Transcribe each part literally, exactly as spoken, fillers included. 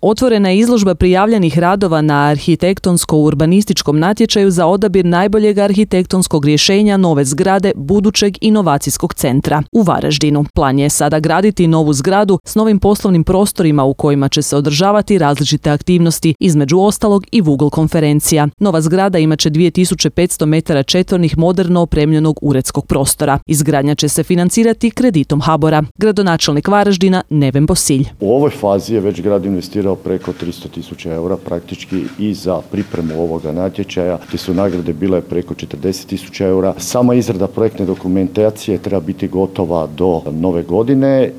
Otvorena je izložba prijavljenih radova na arhitektonsko-urbanističkom natječaju za odabir najboljeg arhitektonskog rješenja nove zgrade budućeg inovacijskog centra u Varaždinu. Plan je sada graditi novu zgradu s novim poslovnim prostorima u kojima će se održavati različite aktivnosti, između ostalog i Google konferencija. Nova zgrada imaće dvije tisuće petsto metara četvornih moderno opremljenog uredskog prostora. Izgradnja će se financirati kreditom HABOR-a. Gradonačelnik Varaždina Neven Bosilj. U ovoj fazi je već grad investirao preko tristo tisuća eura praktički i za pripremu ovoga natječaja, te su nagrade bile preko četrdeset tisuća eura. Sama izrada projektne dokumentacije treba biti gotova do nove godine. E,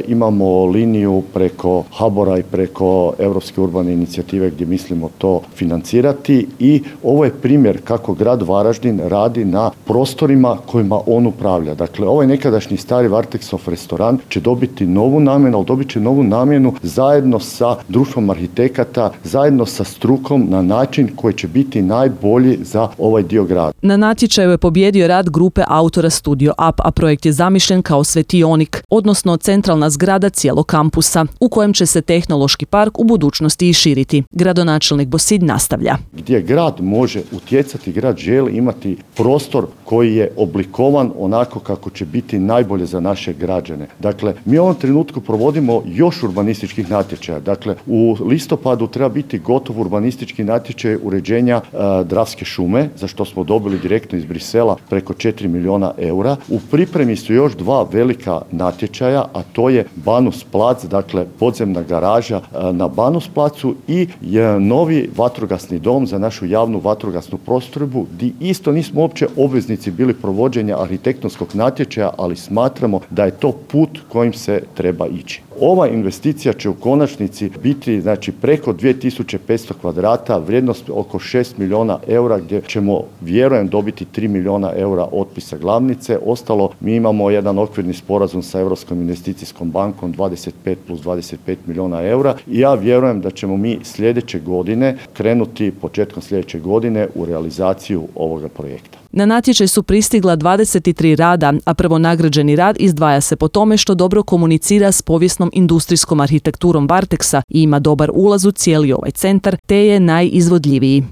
imamo liniju preko HABOR-a i preko Europske urbane inicijative gdje mislimo to financirati i ovo je primjer kako grad Varaždin radi na prostorima kojima on upravlja. Dakle, ovaj nekadašnji stari Varteksov restoran će dobiti novu namjenu, ali dobit će novu namjenu zajedno sa društvom arhitekata, zajedno sa strukom na način koji će biti najbolji za ovaj dio grada. Na natječaju je pobijedio rad grupe autora Studio Up, a projekt je zamišljen kao svetionik, odnosno centralna zgrada cijelog kampusa, u kojem će se tehnološki park u budućnosti i širiti. Gradonačelnik Bosilj nastavlja. Gdje grad može utjecati, grad želi imati prostor koji je oblikovan onako kako će biti najbolje za naše građane. Dakle, mi u ovom trenutku provodimo još urbanističkih natječaja. Dakle, u listopadu treba biti gotov urbanistički natječaj uređenja e, Dravske šume, za što smo dobili direktno iz Brisela preko četiri milijuna eura. U pripremi su još dva velika natječaja, a to je Banus plac, dakle podzemna garaža e, na Banus placu i je novi vatrogasni dom za našu javnu vatrogasnu postrojbu, gdje isto nismo uopće obveznici bili provođenja arhitektonskog natječaja, ali smatramo da je to put kojim se treba ići. Ova investicija će u konačnici biti znači preko dvije tisuće petsto kvadrata, vrijednost oko šest milijuna eura, gdje ćemo vjerujem dobiti tri milijuna eura otpisa glavnice. Ostalo mi imamo jedan okvirni sporazum sa Europskom investicijskom bankom dvadeset pet plus dvadeset pet milijuna eura i ja vjerujem da ćemo mi sljedeće godine krenuti početkom sljedeće godine u realizaciju ovoga projekta. Na natječaj su pristigla dvadeset tri rada, a prvonagrađeni rad izdvaja se po tome što dobro komunicira s povijesnom industrijskom arhitekturom Varteksa i ima dobar ulaz u cijeli ovaj centar, te je najizvodljiviji.